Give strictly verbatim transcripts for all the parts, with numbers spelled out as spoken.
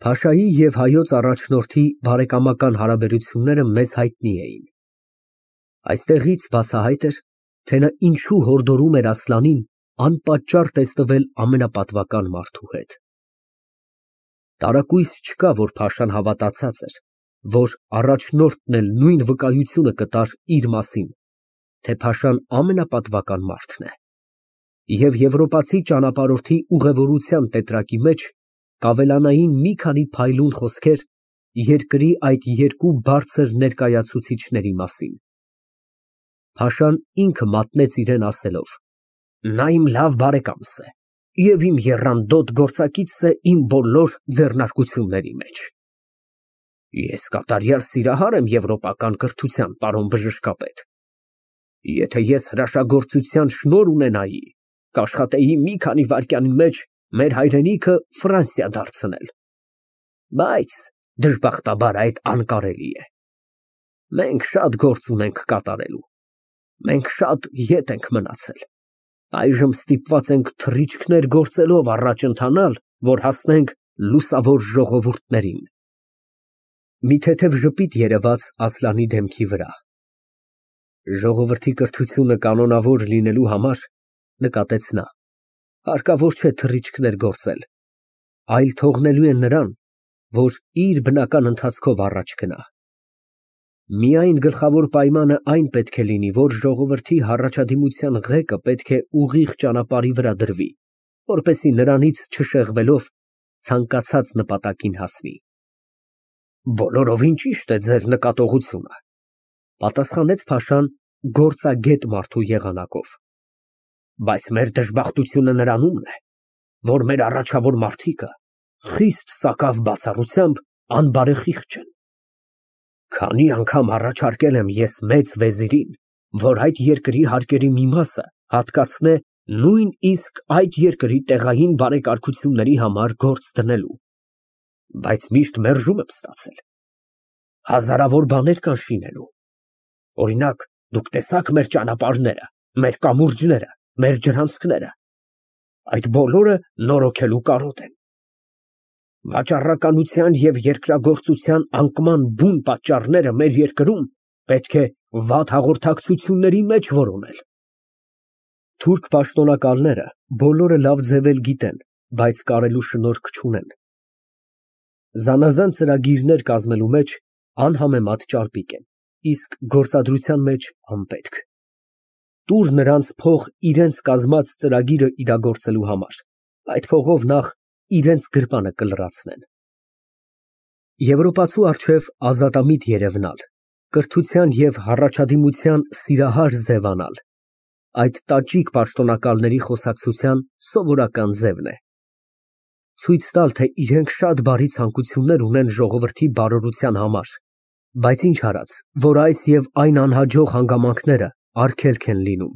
Փաշայի և հայոց առաջնորդի բարեկամական հարաբերությունները մեզ հայտնի էին. այստեղից բացահայտ էր, թե նա ինչու հորդորում էր Ասլանին անպատճառ տեսնվել ամենապատվական մարդու հետ։ Տարակույս չկա, որ փաշան հավատացած էր, որ առաջնորդն էլ նույն վկայությունը կտար իր մասին, թե փաշան ամենապատվական մարդն է, և եվրոպացի ճանապարհորդի ուղևորության տետրակի մեջ կավելանային մի քանի փայլուն խոսքեր երկրի այդ երկու բարձր ներկայացուցիչների մասին։ Փաշան ինքը մատնեց իրան ասելով. «Նա իմ լավ բարեկամս է և իմ եռանդոտ գործակիցն է իմ բոլոր ձեռնարկությունների մեջ»։ Ես կատարյալ սիրահար եմ եվրոպական կրթության, պարոն բժշկապետ։ Եթե ես հրաշագործության շնորհ ունենայի, կաշխատեի մի քանի վայրկյանի մեջ մեր հայրենիքը Ֆրանսիա դարձնել, բայց դժբախտաբար այդ անկարելի է։ Մենք շատ գործ ունենք կատարելու, մենք շատ ետ ենք մնացել, այժմ ստիպված ենք թռիչքներ գործելով առաջ ընթանալ, որ հասնենք լուսավոր ժողովուրդներին։ Մի թեթև ժպիտ երևաց Ասլանի դեմքի վրա։ Ժողովրդի կրթությունը կանոնավոր լինելու համար, նկատեց նա, հարկավոր չէ թռիչքներ գործել, այլ թողնելու են նրան, որ իր բնական ընթացքով առաջ գնա։ Միայն գլխավոր պայմանը այն պետք է լինի, որ ժողովրդի հառաջադիմության ղեկը պետք է ուղիղ ճանապարհի վրա դրվի, որպեսզի նրանից չշեղվելով ցանկացած նպատակին հասնի։ Բոլորովին ճիշտ է ձեր նկատողությունը, պատասխանեց փաշան գործագետ մարդու եղանակով, բայց մեր դժբախտությունը նրանումն է, որ մեր առաջավոր մարդիկը խիստ սակավ բացառությամբ անբարեխիղճ են։ Քանի անգամ առաջարկել եմ ես մեծ վեզիրին, որ այդ երկրի հարկերի մի մասը հատկացնե նույնիսկ այդ երկրի տեղային բարեկարգությունների համար գործ դնելու, բայց միշտ մերժում եմ ստացել։ Հազարավոր բաներ կան շինելու։ Օրինակ, դուք տեսա՞ք մեր ճանապարհները, մեր կամուրջները, մեր ջրանցքները։ Այդ բոլորը նորոգելու կարոտ են։ Վաճառականության և երկրագործության անկման բուն պատճառները մեր երկրում պետք է վատ հաղորդակցությունների մեջ որոնել։ Թուրք պաշտոնակալները բոլորը լավ ձևել գիտեն, բայց կարելու շնորք չունեն։ Զանազան ծրագիրներ կազմելու մեջ անհամեմատ ճարպիկ են, իսկ գործադրության մեջ անպետք։ Տուր նրանց փող իրենց կազմած ծրագիրը իրագործելու համար, այդ փողով նախ իրենց գրպանը կլրացնեն։ Եվրոպացու առջև ազատամիտ երևնալ, կրթության և հառաջադիմության սիրահար ձևանալ, այդ տաճիկ պաշտոնակալների խոսակցության սովորական ձևն է։ Ցույց տալ, թե իրենք շատ բարի ցանկություններ ունեն ժողովրդի բարօրության համար, բայց ինչ արած, որ այս և այն անհաջող հանգամանքները արգելք են լինում։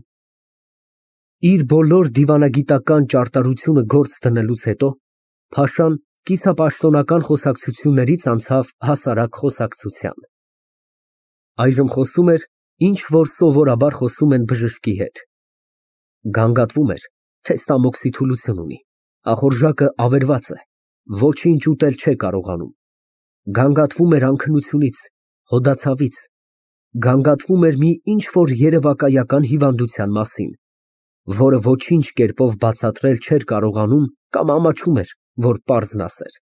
Իր բոլոր դիվանագիտական ճարտարությունը գործ դնելուց հետո փաշան կիսապաշտոնական խոսակցություններից անցավ հասարակ խոսակցության։ Այժմ խոսում էր, ինչ որ սովորաբար խոսում են բժշկի հետ։ Գանգատվում էր, թե ստամոքսի թուլություն ունի, ախորժակը ավերված է, ոչինչ ուտել չէ կարողանում։ Գանգատվում էր անքնությունից, հոդացավից, գանգատվում էր մի ինչ֊որ երևակայական հիվանդության մասին, որը ոչինչ կերպով բացատրել չէր կարողանում կամ ամաչում էր, որ պարզն ասեր։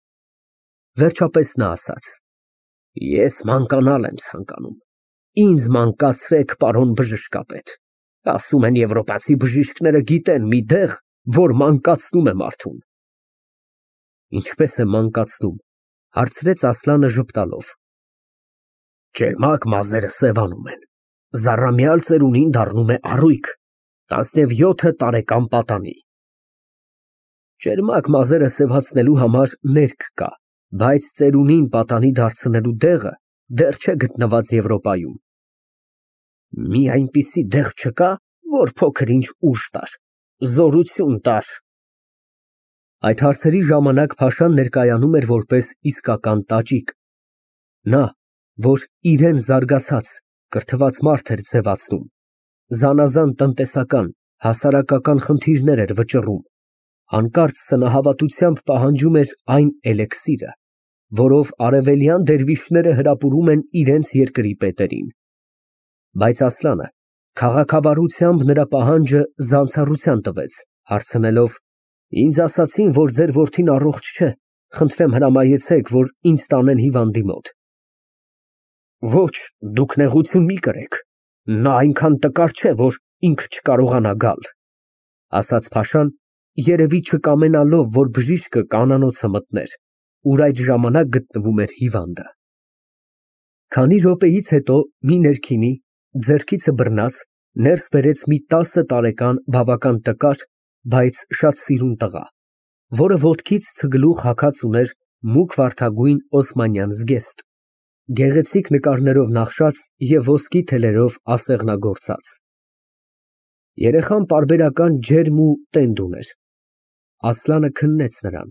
Վերջապես նա ասաց. Ես մանկանալ եմ ցանկանում, ինձ մանկացրեք, պարոն բժշկապետ, ասում են եվրոպացի բժիշկները գիտեն մի դեղ, որ մանկացնում է մարդուն։ Ինչպե՞ս է մանկացնում, հարցրեց Ասլանը ժպտալով։ Ճերմակ մազերը սևանում են, զառամյալ ծերունին դառնում է առույգ, տասնևյոթ տարեկան պատանի։ Ճերմակ մազերը սևացնելու համար ներք կա, բայց ծերունին պատանի դարձնելու դեղը դեռ չէ գտնված Եվրոպայում։ Մի այնպիսի դեղ չկա, որ փոքր-ինչ ուժ տար, զորություն տար։ Այդ հարցերի ժամանակ փաշան ներկայանում էր որպես իսկական տաճիկ։ Նա, որ իրան զարգացած, կրթված մարդ էր ձևացնում, զանազան տնտեսական, հասարակական խնդիրներ էր վճռում, հանկարծ սնահավատությամբ պահանջում էր այն էլեքսիրը, որով արևելյան դերվիշները հրապուրում են իրենց երկրի պետերին։ Բայց Ասլանը քաղաքավարությամբ նրա պահանջը զանցառության տվեց, հարցնելով. «Ինձ ասացին, որ ձեր որդին առողջ չէ, խնդրեմ հրամայեցեք, որ ինձ տանեն հիվանդի մոտ»։ «Ոչ, դուք նեղություն մի կրեք, նա այնքան տկար չէ, որ ինքը չկարողանա գալ», ասաց փաշան, երևի չկամենալով, որ բժիշկը կանանոցը մտներ, ուր այդ ժամանակ գտնվում էր հիվանդը։ Քանի րոպեից հետո մի ներքինի, ձեռքիցը բռնած, ներս բերեց մի տասը տարեկան բավական տկար, բայց շատ սիրուն տղա, որը ոտքից ցգլուխ հագած ուներ մուգ վարդագույն օսմանյան զգեստ, գեղեցիկ նկարներով նախշած և ոսկի թելերով ասեղնագործած։ Երեխան պարբերական ջերմ ու տենդ ուներ։ Ասլանը քննեց նրան,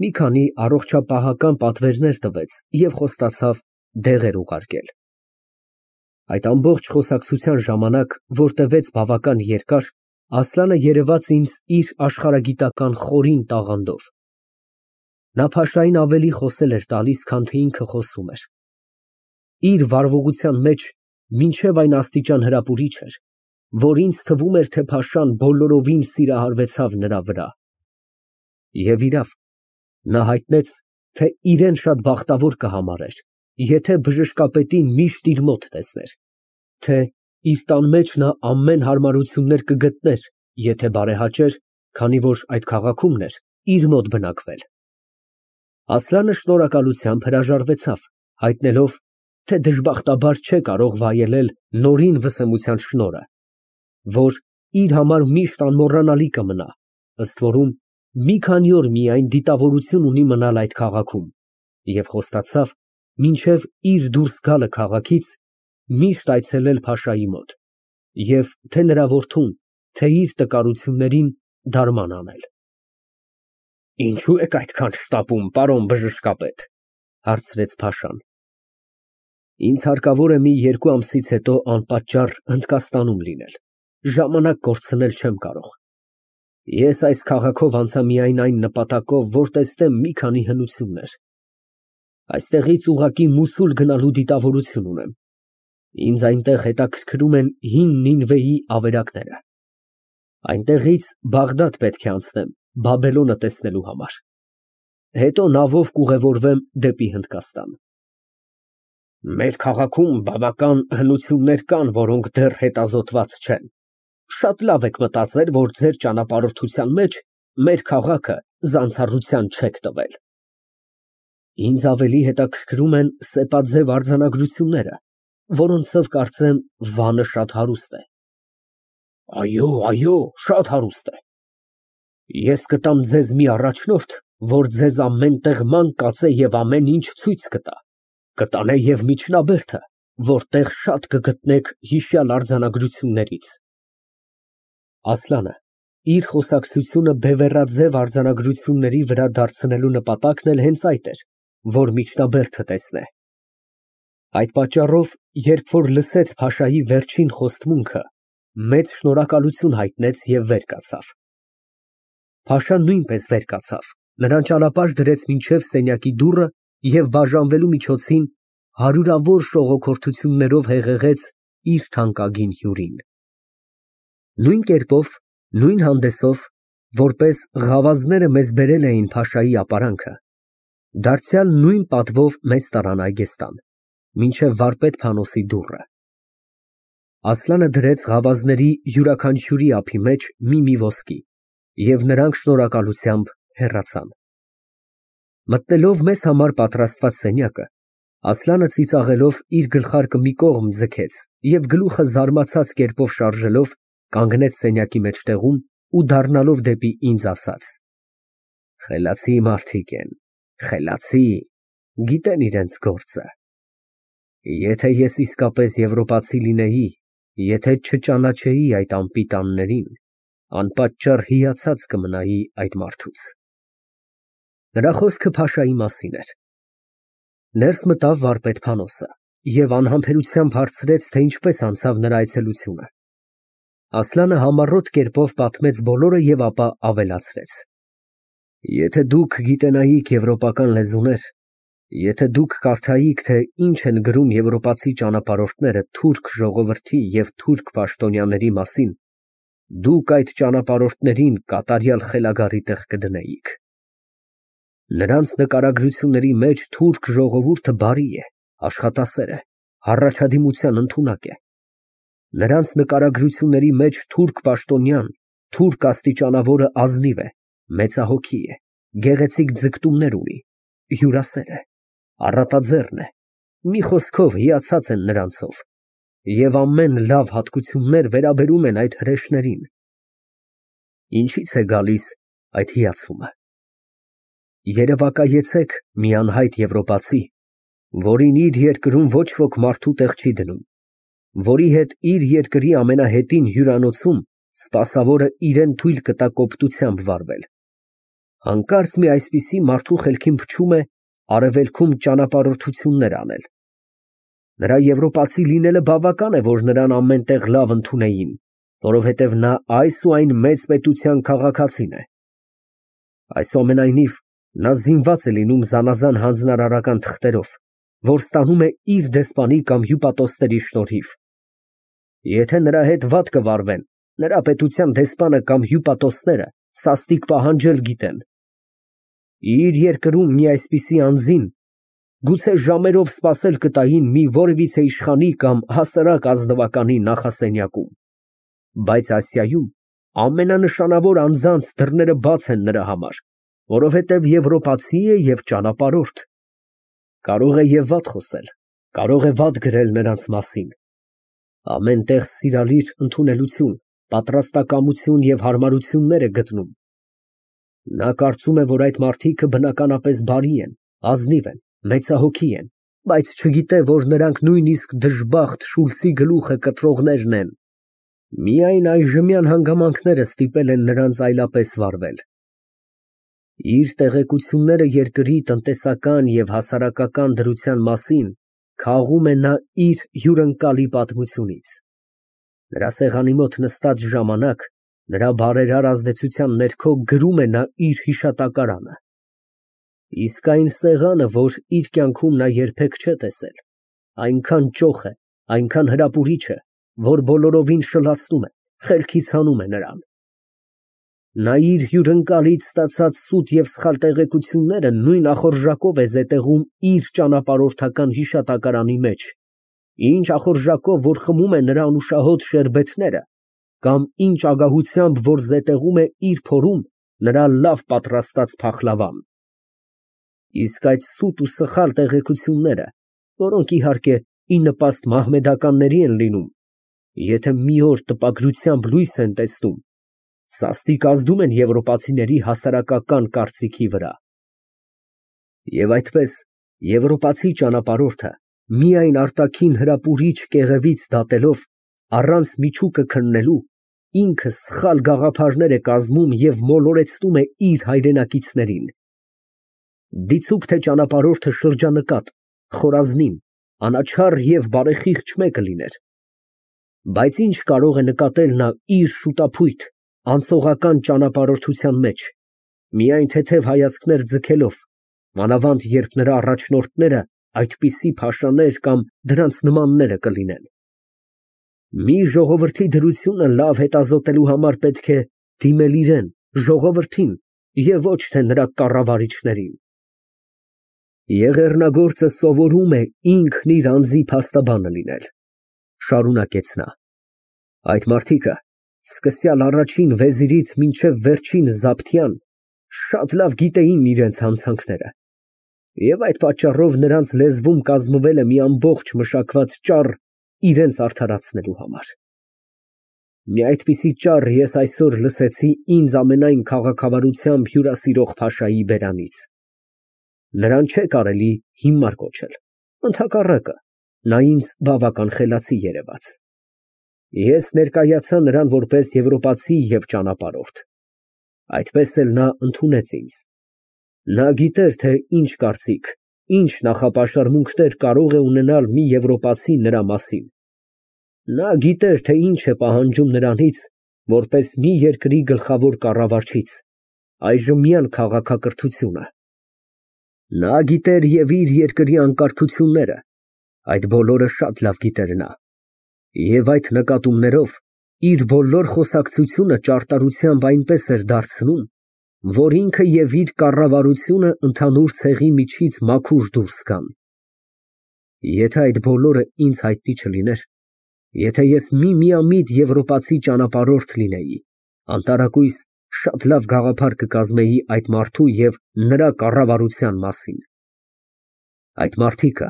մի քանի առողջապահական պատվերներ տվեց և խոստացավ դեղեր ուղարկել։ Այդ ամբողջ խոսակցության ժամանակ, որ տևեց բավական երկար, Ասլանը երևաց ինձ իր աշխարհագիտական խորին տաղանդով։ Նա փաշային ավելի խոսել էր տալիս, քան թե ինքը խոսում էր։ Իր վարվողության մեջ մինչև այն աստիճան հրապուրիչ էր, որ ինձ թվում էր, թե փաշան բոլորովին սիրահարվեցավ նրա վրա։ Եվ իրավ, նա հայտնեց, թե իրեն շատ բախտավոր կհամարեր, եթե բժշկապետին միշտ իր մոտ տեսներ, թե իր տան մեջ նա ամեն հարմարություններ կգտներ, եթե բարեհաճեր, քանի որ այդ քաղաքումն էր իր մոտ բնակվել։ Ասլանը շնորհակալությամբ հրաժարվեցավ, հայտնելով, թե դժբախտաբար չէ կարող վայելել նորին վսեմության շնորհը, որ իր համար միշտ անմոռանալի կմնա, ըստ որում մի քանի օր միայն դիտավորություն ունի մնալ այդ քաղաքում, և խոստացավ մինչև իր դուրս գալը քաղաքից միշտ այցելել փաշայի մոտ և թե նրա որդուն, թե իր տկարություններին դարման անել։ «Ինչո՞ւ եք այդքան շտապում, պարոն բժշկապետ», հարցրեց փաշան։ «Ինձ հարկավոր է մի երկու ամսից հետո անպատճառ Հնդկաստանում լինել, ժամանակ կորցնել չեմ կարող։ Ես այս քաղաքով անցա միայն այն նպատակով, որ տեսնեմ մի քանի հնություններ։ Այստեղից ուղղակի Մոսուլ գնալու դիտավորություն ունեմ։ Ինձ այնտեղ հետաքրքրում են հին Նինվեի ավերակները։ Այնտեղից Բաղդադ պետք է անցնեմ Բաբելոնը տեսնելու համար։ Հետո նավով կուղևորվեմ դեպի Հնդկաստան։ Մեր քաղաքում բավական հնություններ կան, որոնք դեռ հետազոտված չեն։ Շատ լավ եք մտածել, որ ձեր ճանապարհորդության մեջ մեր քաղաքը զանցառության չեք տվել։ Ինձ ավելի հետաքրքրում են սեպաձև արձանագրությունները, որոնցով կարծեմ Վանը շատ հարուստ է։ Այո, այո, շատ հարուստ է։ Ես կտամ ձեզ մի առաջնորդ, որ ձեզ ամեն տեղ ման կածե և ամեն ինչ ցույց կտա, կտանե և միջնաբերդը, որտեղ շատ կգտնեք հիշյալ արձանագրություններից։ Ասլանը իր խոսակցությունը բևեռաձև արձանագրությունների վրա դարձնելու նպատակն էլ հենց այդ էր, որ միջնաբերդը տեսնե։ Այդ պատճառով, երբ որ լսեց փաշայի վերջին խոստմունքը, մեծ շնորհակալություն հայտնեց և վեր կացավ։ Փաշան նույնպես վեր կացավ, նրան ճանապարհ դրեց մինչև սենյակի դուռը և բաժանվելու միջոցին հարյուրավոր շողոքորթություններով հեղեղեց իր թանկագին հյուրին։ Նույն կերպով, նույն հանդեսով, որպես ղավազները մեզ բերել էին փաշայի ապարանքը, դարձյալ նույն պատվով մեզ տարան այգեստան, մինչև վարպետ Փանոսի դուռը։ Ասլանը դրեց ղավազների յուրաքանչյուրի ափի մեջ մի֊մի ոսկի, և նրանք շնորհակալությամբ հեռացան։ Մտնելով մեզ համար պատրաստված սենյակը, Ասլանը ծիծաղելով իր գլխարկը մի կողմ ձգեց և գլուխը զարմացած կերպով շարժելով, կանգնեց սենյակի մեջտեղում ու դառնալով դեպի ինձ ասաց. Խելացի մարդիկ են, խելացի, գիտեն իրենց գործը։ Եթե ես իսկապես եվրոպացի լինեի, եթե չճանաչեի այդ անպիտաններին, անպատճառ հիացած կմնայի այդ մարդուց։ Նրա խոսքը փաշայի մասին էր։ Ներս մտավ վարպետ Փանոսը և անհամբերությամբ հարցրեց, թե ինչպես անցավ նրա այցելությունը։ Ասլանը համառոտ կերպով պատմեց բոլորը և ապա ավելացրեց. Եթե դուք գիտենայիք եվրոպական լեզուներ, Եթե դուք կարդայիք, թե ինչ են գրում եվրոպացի ճանապարհորդները թուրք ժողովրդի և թուրք պաշտոնյաների մասին, դուք այդ ճանապարհորդներին կատարյալ խելագարի տեղ կդնեիք։ Նրանց նկարագրությունների մեջ թուրք ժողովուրդը բարի է, աշխատասեր է, հառաջադիմության ընդունակ է։ Նրանց նկարագրությունների մեջ թուրք պաշտոնյան, թուրք աստիճանավորը ազնիվ է, մեծահոգի է, գեղեցիկ ձգտումներ ունի, հյուրասեր է, առատաձեռն է, մի խոսքով հիացած են նրանցով, և ամեն լավ հատկություններ վերաբերում են այդ հրեշներին։ Ինչից է գալիս այդ հիացումը։ Երևակայեցեք մի անհայտ եվրոպացի, որին իր երկրում ոչ ոք մարդու տեղ չի դնում, որի հետ իր երկրի ամենահետին հյուրանոցում սպասավորը իրան թույլ կտա կոպտությամբ վարվել։ Հանկարծ մի այսպիսի մարդու խելքին փչում է արևելքում ճանապարհորդություններ անել։ Նրա եվրոպացի լինելը բավական է, որ նրան ամեն տեղ լավ ընդունեին, որովհետև նա այս ու այն մեծ պետության քաղաքացին է։ Այսուամենայնիվ, նա զինված է լինում զանազան հանձնարարական թղթերով, որ ստանում է իր դեսպանի կամ հյուպատոսների շնորհիվ։ Եթե նրա հետ վատ կվարվեն, նրա պետության դեսպանը կամ հյուպատոսները սաստիկ պահանջել գիտեն։ Իր երկրում մի այսպիսի անձին գուցե ժամերով սպասել կտային մի որևիցե իշխանի կամ հասարակ ազնվականի նախասենյակում, բայց Ասիայում ամենանշանավոր անձանց դռները բաց են նրա համար, որովհետև եվրոպացի է և ճանապարհորդ։ Կարող է և վատ խոսել, կարող է վատ գրել նրանց մասին։ Ամեն տեղ սիրալիր ընդունելություն, պատրաստակամություն և հարմարություններ է գտնում։ Նա կարծում է, որ այդ մարդիկը բնականապես բարի են, ազնիվ են, մեծահոգի են, բայց չգիտե, որ նրանք նույնիսկ դժբախտ Շուլցի գլուխը կտրողներն են։ Միայն այժմյան հանգամանքները ստիպել են նրանց այլապես վարվել։ Իր տեղեկությունները երկրի տնտեսական և հասարակական դրության մասին քաղում է նա իր հյուրընկալի պատմությունից։ Նրա սեղանի մոտ նստած ժամանակ նրա բարերար ազդեցության ներքո գրում է նա իր հիշատակարանը։ Իսկ այն սեղանը, որ իր կյանքում նա երբեք չէ տեսել, այնքան ճոխ է, այնքան հրապուրիչ է, որ բոլորովին շլացնում է, խելքից հանում է նրան։ Նա իր հյուրընկալից ստացած սուտ և սխալ տեղեկությունները նույն ախորժակով է զետեղում իր ճանապարհորդական հիշատակարանի մեջ, ինչ ախորժակով, որ խմում է նրա անուշահոտ շերբեթները, կամ ինչ ագահությամբ, որ զետեղում է իր փորում նրա լավ պատրաստած փախլավան։ Իսկ այդ սուտ ու սխալ տեղեկությունները, որոնք, իհարկե, ի նպաստ մահմեդականների են լինում, եթե մի օր տպագրությամբ լույս են տեսնում, սաստիկ ազդում են եվրոպացիների հասարակական կարծիքի վրա։ Եվ այդպես, եվրոպացի ճանապարհորդը միայն արտաքին հրապուրիչ կեղևից դատելով, առանց միջուկը քննելու, ինքը սխալ գաղափարներ է կազմում և մոլորեցնում է իր հայրենակիցներին։ Դիցուք թե ճանապարհորդը շրջանկատ, խորազնին, անաչառ և բարեխիղճ մեկը լիներ, բայց ինչ կարող է նկատել նա իր շուտափույթ, անցողական ճանապարհորդության մեջ, միայն թեթև հայացքներ ձգելով, մանավանդ երբ նրա առաջնորդները այդպիսի փաշաներ կամ դրանց նմանները կլինեն։ Մի ժողովրդի դրությունը լավ հետազոտելու համար պետք է դիմել իրան, ժողովրդին, և ոչ թե նրա կառավարիչներին։ Եղեռնագործը սովորում է ինքն իր անձի փաստաբանը լինել, շարունակեց նա։ Այդ մարդիկը, սկսյալ առաջին վեզիրից մինչև վերջին զաբթյան, շատ լավ գիտեին իրենց հանցանքները, և այդ պատճառով նրանց լեզվում կազմվել է մի ամբողջ մշակված ճառ իրենց արդարացնելու համար։ Մի այդպիսի ճառ ես այսօր լսեցի ինձ ամենայն քաղաքավարությամբ հյուրասիրող փաշայի բերանից։ Նրան չէ կարելի հիմար կոչել, ընդհակառակը, նա ինձ բավական խելացի երևաց։ Ես ներկայացա նրան որպես եվրոպացի և ճանապարհորդ։ Այդպես էլ նա ընդունեց ինձ։ Նա գիտեր, թե ինչ կարծիք, ինչ նախապաշարմունքներ կարող է ունենալ մի եվրոպացի նրա մասին։ Նա գիտեր, թե ինչ է պահանջում նրանից, որպես մի երկրի գլխավոր կառավարչից, այժմյան քաղաքակրթությունը։ Նա գիտեր և իր երկրի անկարգությունները, այդ բոլորը շատ լավ գիտեր նա, և այդ նկատումներով իր բոլոր խոսակցությունը ճարտարությամբ այնպես էր դարձնում, որ ինքը և իր կառավարությունը ընդհանուր ցեղի միջից մաքուր դուրս գան։ Եթե այդ բոլորը ինձ հայտնի չլիներ, եթե ես միմիամիտ եվրոպացի ճանապարհորդ լինեի, անտարակույս շատ լավ գաղափար կկազմեի այդ մարդու և նրա կառավարության մասին։ Այդ մարդիկը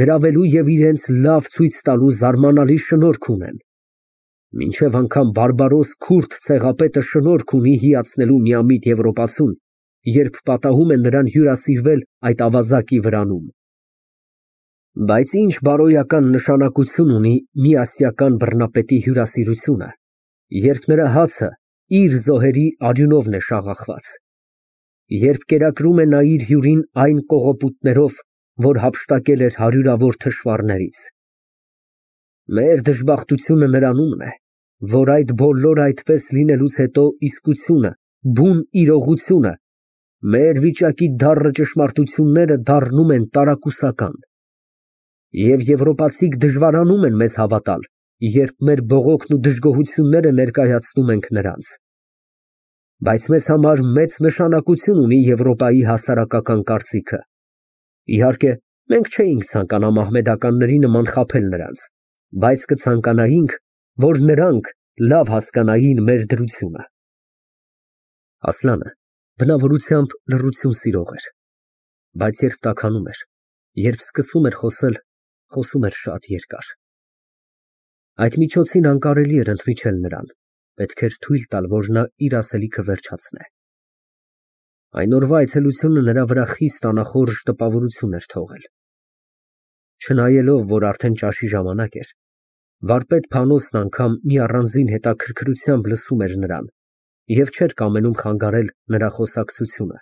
գրավելու և իրենց լավ ցույց տալու զարմանալի շնորք ունեն, մինչև անգամ բարբարոս քուրդ ցեղապետը շնորք ունի հիացնելու միամիտ եվրոպացուն, երբ պատահում է նրան հյուրասիրվել այդ ավազակի վրանում։ Բայց ինչ բարոյական նշանակություն ունի մի ասիական բռնապետի հյուրասիրությունը, երբ նրա հացը իր զոհերի արյունովն է շաղախված, երբ կերակրում է նա իր հյուրին այն կողոպուտներով, որ հափշտակել էր հարյուրավոր թշվառներից։ Մեր դժբախտությունը նրանումն է, որ այդ բոլորը այդպես լինելուց հետո իսկությունը, բուն իրողությունը, մեր վիճակի դառը ճշմարտությունները դառնում են տարակուսական։ Եվ եվրոպացիք դժվարանում են մեզ հավատալ, երբ մեր բողոքն ու դժգոհությունները ներկայացնում ենք նրանց։ Բայց մեզ համար մեծ նշանակություն ունի Եվրոպայի հասարակական կարծիքը։ Իհարկե, մենք չէինք ցանկանա մահմեդականների նման խաբել նրանց, բայց կցանկանայինք, որ նրանք լավ հասկանային մեր դրությունը։ Ասլանը բնավորությամբ լռություն սիրող էր, բայց երբ տաքանում էր, երբ սկսում էր խոսել, խոսում էր շատ երկար։ Այդ միջոցին անկարելի էր ընդմիջել նրան, պետք էր թույլ տալ, որ նա իր ասելիքը վերջացնե։ Այն օրվա այցելությունը նրա վրա խիստ անախորժ տպավորություն էր թողել։ Չնայելով, որ արդեն ճաշի ժամանակ էր, վարպետ Փանոսն անգամ մի առանձին հետաքրքրությամբ լսում էր նրան և չէր կամենում խանգարել նրա խոսակցությունը,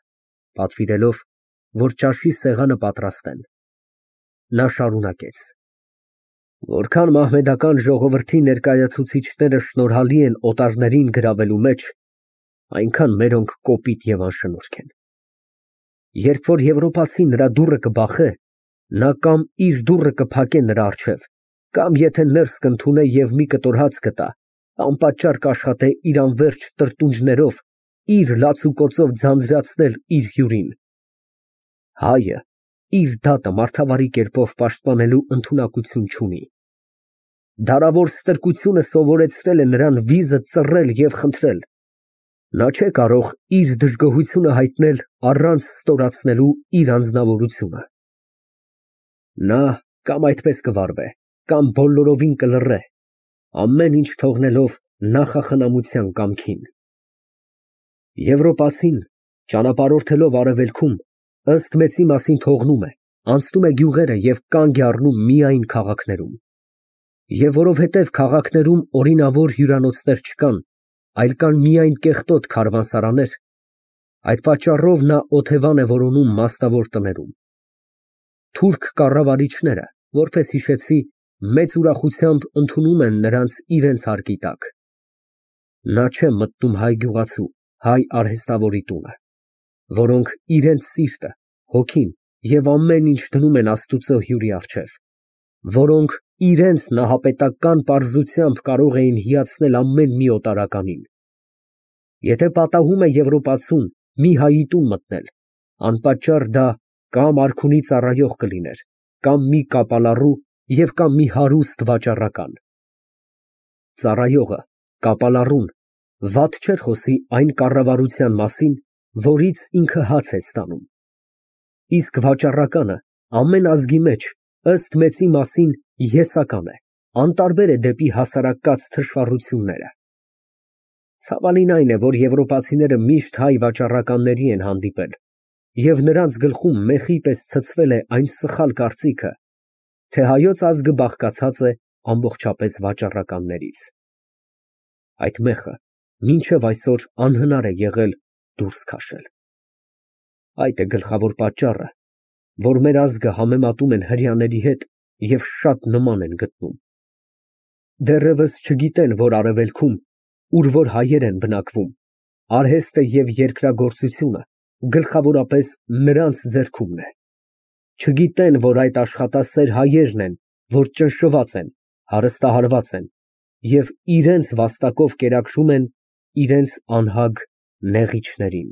պատվիրելով, որ ճաշի սեղանը պատրաստեն։ Նա շարունակեց. Որքան մահմեդական ժողովրդի ներկայացուցիչները շնորհալի են օտարներին գրավելու մեջ, այնքան մերոնք կոպիտ և անշնորհք են։ Երբ որ եվրոպացին նրա դուռը կբախե, նա կամ իր դուռը կփակե նրա առջև, կամ եթե ներս կընդունե և մի կտոր հաց կտա, անպատճառ կաշխատե իր անվերջ տրտունջներով, իր լացուկոծով ձանձրացնել իր հյուրին։ Հայը իր դատը մարդավարի կերպով պաշտպանելու ընդունակություն չունի։ Դարավոր ստրկությունը սովորեցրել է նրան վիզը ծռել և խնդրել։ Նա չէ կարող իր դժգոհությունը հայտնել առանց ստորացնելու իր անձնավորությունը։ Նա կամ այդպես կվարվե, կամ բոլորովին կլռե, ամեն ինչ թողնելով նախախնամության կամքին։ Եվրոպացին, ճանապարհորդելով արևելքում, ըստ մեծի մասին թողնում է, անցնում է գյուղերը և կանգ է առնում միայն քաղաքներում։ Եվ որովհետև քաղաքներում օրինավոր հյուրանոցներ չկան, այլ կան միայն կեղտոտ քարավանսարաններ, այդ պատճառով նա օթևան է որոնում մասնավոր տներում։ Թուրք կառավարիչները, որպես հիշեցի, մեծ ուրախությամբ ընդունում են նրանց իրենց հարկի տակ։ Նա չէ մտնում հայ գյուղացու, հայ արհեստավորի տունը, որոնք իրենց սիրտը, հոգին և ամեն ինչ դնում են Աստուծո հյուրի առջև, որոնք իրենց նահապետական պարզությամբ կարող էին հիացնել ամեն մի օտարականին։ Եթե պատահում է եվրոպացուն մի հայի տուն մտնել, անպատճառ դա կամ արքունի ծառայող կլիներ, կամ մի կապալառու և կամ մի հարուստ վաճառական։ Ծառայողը, կապալառուն վատ չէր խոսի այն կառավարության մասին, որից ինքը հաց է ստանում։ Իսկ վաճառականը ամեն ազգի մեջ, ըստ մեծի մասին, եսական է, անտարբեր է դեպի հասարակած թշվառությունները։ Ցավալին այն է, որ եվրոպացիները միշտ հայ վաճառականների են հանդիպել, և նրանց գլխում մեխի պես ցցվել է այն սխալ կարծիքը, թե հայոց ազգը բաղկացած է ամբողջապես վաճառականներից։ Այդ մեխը մինչև այսօր անհնար է եղել դուրս քաշել։ Այդ է գլխավոր պատճառը, որ մեր ազգը համեմատում են հրեաների հետ և շատ նման են գտնում։ Դեռևս չգիտեն, որ արևելքում, ուր որ հայեր են բնակվում, արհեստը և երկրագործությունը գլխավորապես նրանց ձեռքումն է։ Չգիտեն, որ այդ աշխատասեր հայերն են, որ ճնշված են, հարստահարված են և իրենց վաստակով կերակրում են իրենց անհագ նեղիչներին։